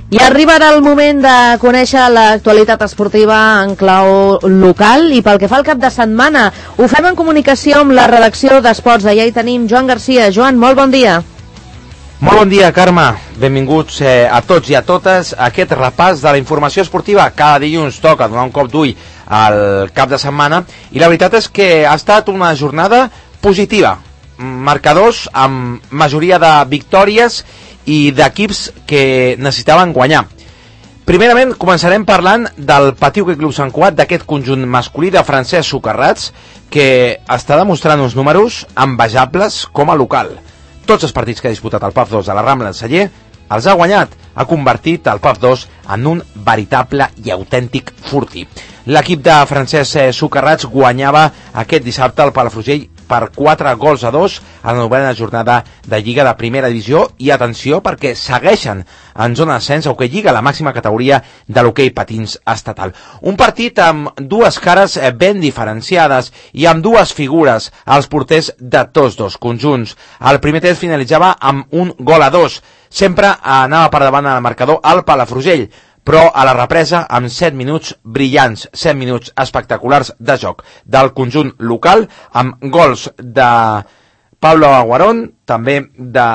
I arriba ara el moment de conèixer l'actualitat esportiva en clau local i pel que fa al cap de setmana ho fem en comunicació amb la redacció d'Esports. Allà hi tenim Joan Garcia. Joan, molt bon dia. Molt bon dia, Carme. Benvinguts a tots i a totes a aquest repàs de la informació esportiva. Cada dilluns toca donar un cop d'ull al cap de setmana i la veritat és que ha estat una jornada positiva. Marcadors amb majoria de victòries i d'equips que necessitaven guanyar. Primerament començarem parlant del Patí Hoquei Club Sant Cugat, d'aquest conjunt masculí de Francesc Socarrats, que està demostrant uns números envejables com a local. Tots els partits que ha disputat el PAF 2 a la Rambla de Celler els ha guanyat, ha convertit el PAF 2 en un veritable i autèntic fortí. L'equip de Francesc Socarrats guanyava aquest dissabte al Palafrugell per 4-2 a la 9ª jornada de Lliga de Primera Divisió i atenció perquè segueixen en zona d'ascens a Hoquei Lliga, la màxima categoria de l'hoquei patins estatal. Un partit amb dues cares ben diferenciades i amb dues figures als porters de tots dos conjunts. El primer temps finalitzava amb 1-2. Sempre anava per davant al marcador el Palafrugell, però a la represa amb 7 minuts brillants, 7 minuts espectaculars de joc del conjunt local, amb gols de Pablo Aguarón, també de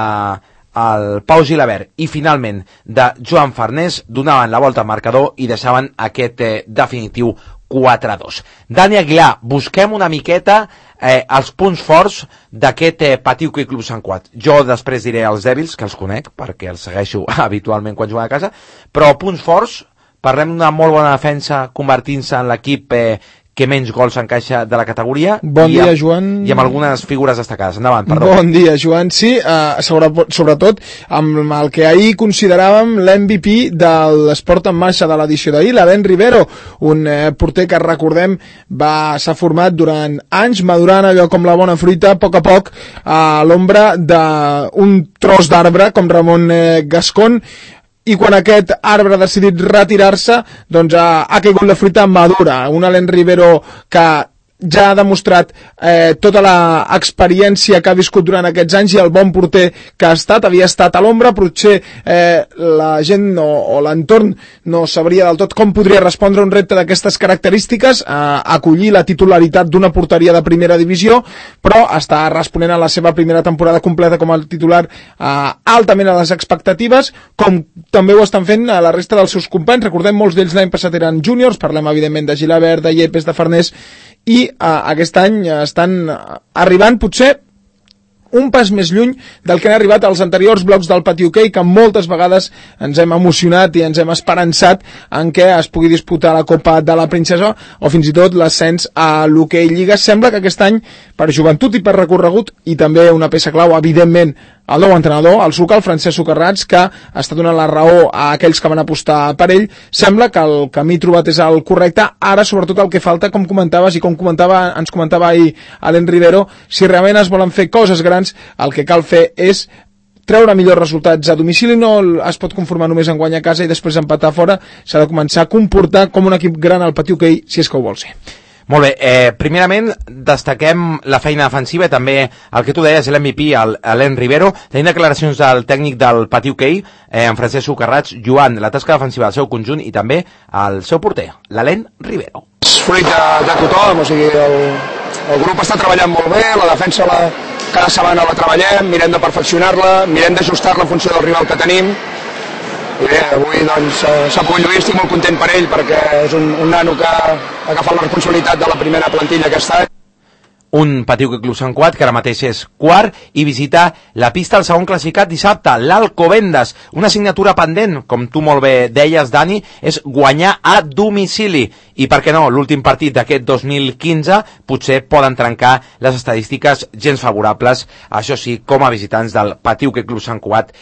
el Pau Gilabert i finalment de Joan Farnés, donaven la volta al marcador i deixaven aquest definitiu 4-2. Dani Aguilar, busquem una miqueta els punts forts d'aquest Patí Hoquei Club Sant Cugat. Jo després diré els dèbils, que els conec, perquè els segueixo habitualment quan juguen a casa, però punts forts, parlem d'una molt bona defensa convertint-se en l'equip que menys gols encaixa de la categoria. Bon dia, Joan. I amb algunes figures destacades. Endavant, perdó. Bon dia, Joan. Sí, sobretot amb el que ahir consideràvem l'MVP de l'esport en marxa de l'edició d'ahir, l'Alain Rivero, un porter que recordem s'ha format durant anys, madurant allò com la bona fruita, a poc a l'ombra d'un tros d'arbre com Ramon Gascon, i quan aquest arbre ha decidit retirar-se, doncs ha caigut la fruita madura. Un Alain Rivero que ja ha demostrat tota l'experiència que ha viscut durant aquests anys i el bon porter que havia estat a l'ombra. Potser la gent o l'entorn no sabria del tot com podria respondre a un repte d'aquestes característiques, acollir la titularitat d'una porteria de primera divisió, però està responent a la seva primera temporada completa com a titular altament a les expectatives, com també ho estan fent a la resta dels seus companys. Recordem, molts d'ells l'any passat eren júniors, parlem evidentment de Gilabert, de Yepes, de Farnés, i aquest any estan arribant potser un pas més lluny del que han arribat als anteriors blocs del Patí Hoquei, que moltes vegades ens hem emocionat i ens hem esperançat en què es pugui disputar la Copa de la Princesa o fins i tot l'ascens a l'Hoquei Lliga. Sembla que aquest any, per joventut i per recorregut, i també una peça clau, evidentment, el nou entrenador, el SUCA, el Francesc Socarrats, que està donant la raó a aquells que van apostar per ell. Sembla que el camí trobat és el correcte. Ara, sobretot, el que falta, com comentaves i com ens comentava ahir Alain Rivero, si realment es volen fer coses grans, el que cal fer és treure millors resultats a domicili. No es pot conformar només en guanyar a casa i després empatar fora. S'ha de començar a comportar com un equip gran al Patí Hoquei, si és que ho vol ser. Molt bé, primerament destaquem la feina defensiva i també el que tu deies, l'MVP, Alain Rivero. Tenim declaracions del tècnic del Patí Hoquei, en Francesc Socarrats, Joan, la tasca defensiva del seu conjunt i també el seu porter, l'Alain Rivero. Fruit de tothom, o sigui, el grup està treballant molt bé, la defensa cada setmana la treballem, mirem de perfeccionar-la, mirem d'ajustar-la en funció del rival que tenim. I bé, avui doncs s'ha pogut lluir, estic molt content per ell perquè és un nano que ha agafat la responsabilitat de la primera plantilla aquest any. Un Patí Hoquei Club Sant Cugat, que ara mateix és quart, i visita la pista del segon classificat dissabte, l'Alcobendas. Una assignatura pendent, com tu molt bé deies, Dani, és guanyar a domicili. I per què no, l'últim partit d'aquest 2015 potser poden trencar les estadístiques gens favorables, això sí, com a visitants del Patí Hoquei Club Sant Cugat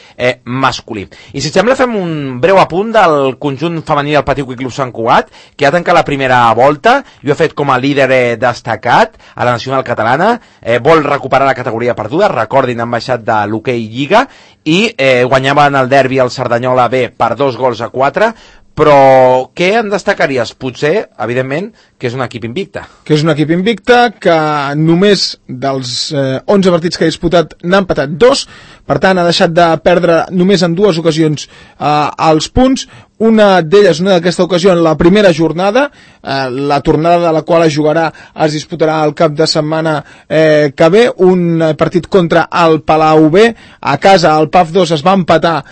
masculí. I si et sembla fem un breu apunt del conjunt femení del Patí Hoquei Club Sant Cugat, que ha tancat la primera volta i ho ha fet com a líder destacat a la nacional catalana, vol recuperar la categoria perduda, recordin, han baixat de l'Hoquei Lliga i guanyaven el derbi al Cerdanyola B per 2-4, però què en destacaries? Potser, evidentment, que és un equip invicte. Que és un equip invicte, que només dels 11 partits que ha disputat n'ha empatat 2, per tant ha deixat de perdre només en 2 ocasions els punts, una d'elles, una d'aquesta ocasió, en la primera jornada, la tornada de la qual es jugarà, es disputarà el cap de setmana que ve, un partit contra el Palau B, a casa el PAF 2 es va empatar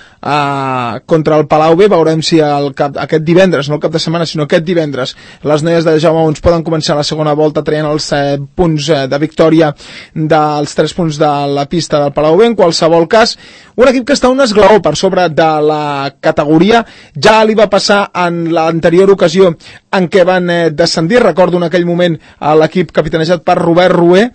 contra el Palau B, veurem si aquest divendres, no el cap de setmana, sinó aquest divendres, les noies de Jaume Ons poden començar la segona volta traient els punts de victòria dels 3 punts de la pista del Palau B. En qualsevol cas, un equip que està un esglaó per sobre de la categoria. Ja li va passar en l'anterior ocasió en què van descendir, recordo en aquell moment l'equip capitanejat per Robert Rué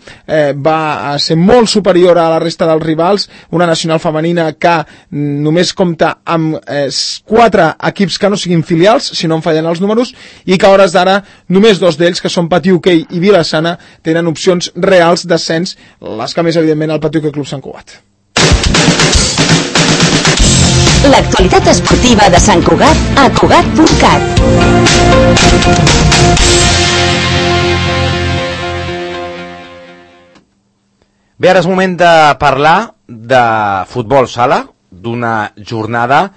va ser molt superior a la resta dels rivals, una nacional femenina que només compta amb 4 equips que no siguin filials, si no em fallen els números, i que a hores d'ara només 2 d'ells, que són Patí Hoquei i Vila-sana, tenen opcions reals d'ascens, les que més evidentment el Patí Hoquei Club Sant Cugat. L'actualitat esportiva de Sant Cugat a Cugat.cat. Bé, ara és moment de parlar de futbol sala, d'una jornada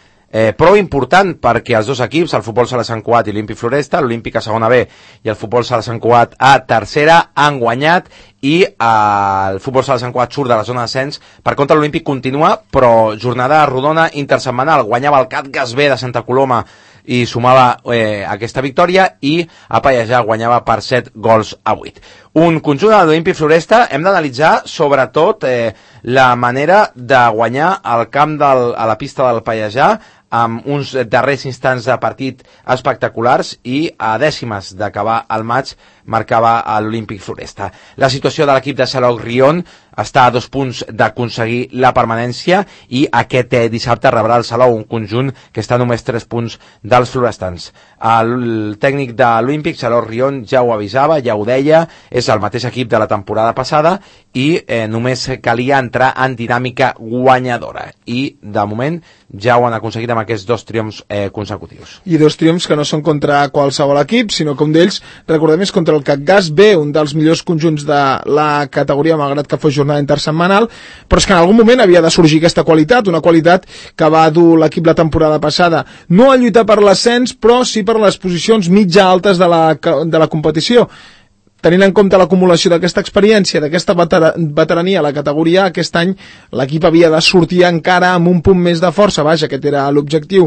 prou important, perquè els dos equips, el futbol sala Sant Cugat i l'Olímpic Floresta, l'Olímpic a segona B i el futbol sala Sant Cugat a tercera, han guanyat, i el futbol sala Sant Cugat surt de la zona d'ascens. Per contra, l'Olímpic continua, però jornada rodona intersetmanal. Guanyava el Catgas B de Santa Coloma i sumava aquesta victòria, i a Pallejà guanyava per 7 gols a 8. Un conjunt de l'Olímpic Floresta. Hem d'analitzar sobretot la manera de guanyar al camp a la pista del Pallejà, amb uns darrers instants de partit espectaculars, i a dècimes d'acabar el maig marcava l'Olímpic Floresta. La situació de l'equip de Salou Rion està a 2 punts d'aconseguir la permanència, i aquest dissabte rebrà el Salou, un conjunt que està a només 3 punts dels florestans. El tècnic de l'Olímpic, Salou Rion, ja ho avisava, ja ho deia, és el mateix equip de la temporada passada, i només calia entrar en dinàmica guanyadora, i de moment ja ho han aconseguit amb aquests 2 triomfs consecutius. I 2 triomfs que no són contra qualsevol equip, sinó que un d'ells, recordem, és contra el Catgas B, un dels millors conjunts de la categoria, malgrat que fos jornada intersetmanal, però és que en algun moment havia de sorgir aquesta qualitat, una qualitat que va dur l'equip la temporada passada, no a lluitar per l'ascens, però sí per les posicions mitja altes de la competició. Tenint en compte l'acumulació d'aquesta experiència, d'aquesta veterania a la categoria, aquest any l'equip havia de sortir encara amb un punt més de força. Vaja, aquest era l'objectiu.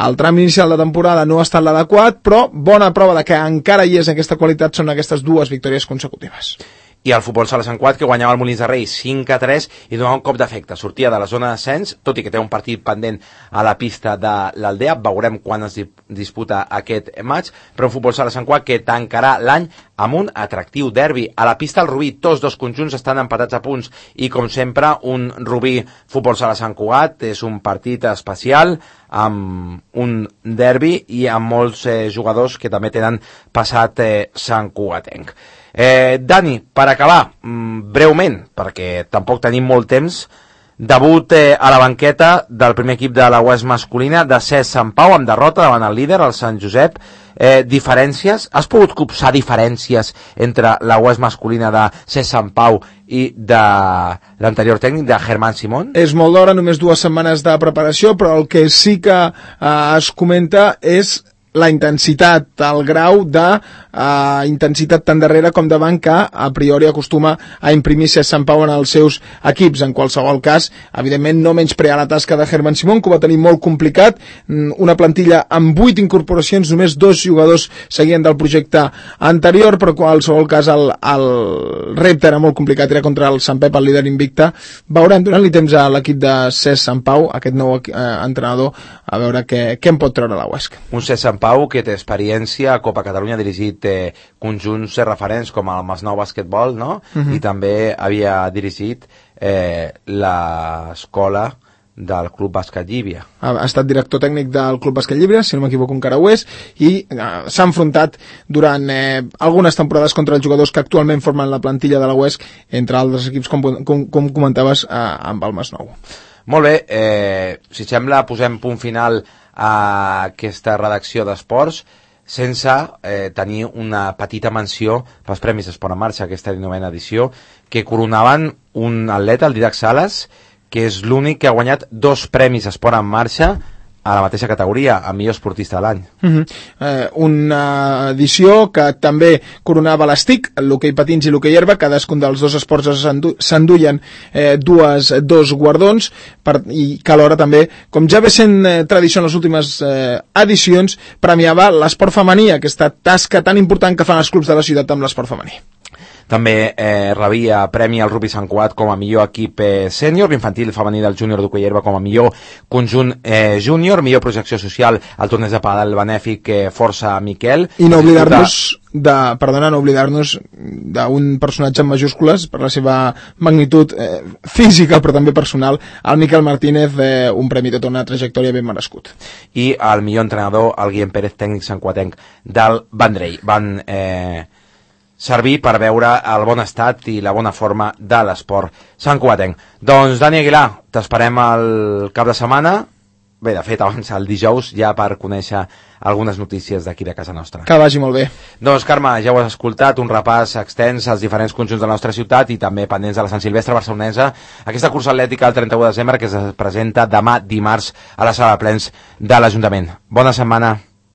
El tram inicial de temporada no ha estat l'adequat, però bona prova de que encara hi és aquesta qualitat són aquestes 2 victòries consecutives. I el futbol sala Sant Cugat, que guanyava el Molins de Rei 5-3 i donava un cop d'efecte. Sortia de la zona d'ascens, tot i que té un partit pendent a la pista de l'Aldea. Veurem quan es disputa aquest maig, però un futbol sala Sant Cugat que tancarà l'any amb un atractiu derbi. A la pista el Rubí, tots 2 conjunts estan empatats a punts, i com sempre un Rubí futbol sala Sant Cugat és un partit especial, amb un derbi i amb molts jugadors que també tenen passat Sant Cugatenc. Dani, per acabar, breument, perquè tampoc tenim molt temps, debut a la banqueta del primer equip de la UES masculina de Cesc Sant Pau, amb derrota davant el líder, el Sant Josep. Diferències? Has pogut copsar diferències entre la UES masculina de Cesc Sant Pau i de l'anterior tècnic, de Germán Simón? És molt d'hora, només 2 setmanes de preparació, però el que sí que es comenta és la intensitat, el grau de intensitat tant darrere com davant que a priori acostuma a imprimir Cesc Sant Pau en els seus equips. En qualsevol cas, evidentment no menysprear la tasca de Germán Simón, que ho va tenir molt complicat, una plantilla amb 8 incorporacions, només 2 jugadors seguien del projecte anterior, però en qualsevol cas el repte era molt complicat, era contra el Sant Pep, el líder invicte. Veurem, donant-li temps a l'equip de Cesc Sant Pau, aquest nou entrenador, a veure què en pot treure la UESC. Un Cesc Sant Pau que té experiència a Copa Catalunya, ha dirigit conjunts referents com el Masnou Basquetbol, no? I també havia dirigit l'escola del Club Bàsquet Llívia. Ha estat director tècnic del Club Bàsquet Llívia, si no m'equivoco encara ho és, i s'ha enfrontat durant algunes temporades contra els jugadors que actualment formen la plantilla de la UESC, entre altres equips, com comentaves, amb el Masnou. Molt bé, si sembla posem punt final a aquesta redacció d'esports sense tenir una petita menció pels Premis Esport en Marxa, aquesta 19a edició, que coronaven un atleta, el Didac Sales, que és l'únic que ha guanyat 2 Premis Esport en Marxa a la mateixa categoria, a millor esportista de l'any. Una edició que també coronava l'ESTIC, l'hoquei patins i l'hoquei herba, cadascun dels 2 esports s'enduien dos guardons, i que alhora també, com ja ve sent tradició en les últimes edicions, premiava l'esport femení, aquesta tasca tan important que fan els clubs de la ciutat amb l'esport femení. També rebia premi al Rugby Sant Cugat com a millor equip sènior, l'infantil femení del júnior d'hoquei herba com a millor conjunt júnior, millor projecció social al torneig de pàdel benèfic Força Miquel. I no oblidar-nos d'un personatge en majúscules per la seva magnitud física però també personal, el Miquel Martínez, un premi de tota una trajectòria ben merescut. I el millor entrenador, el Guillem Pérez, tècnic santcuatenc del Vendrell. Van servir per veure el bon estat i la bona forma de l'esport santcuatenc. Doncs, Dani Aguilar, t'esperem el cap de setmana, bé, de fet, abans el dijous, ja per conèixer algunes notícies d'aquí de casa nostra. Que vagi molt bé. Doncs, Carme, ja ho has escoltat, un repàs extens als diferents conjunts de la nostra ciutat i també pendents de la Sant Silvestre barcelonesa, aquesta cursa atlètica el 31 de desembre que es presenta demà dimarts a la sala de plens de l'Ajuntament. Bona setmana.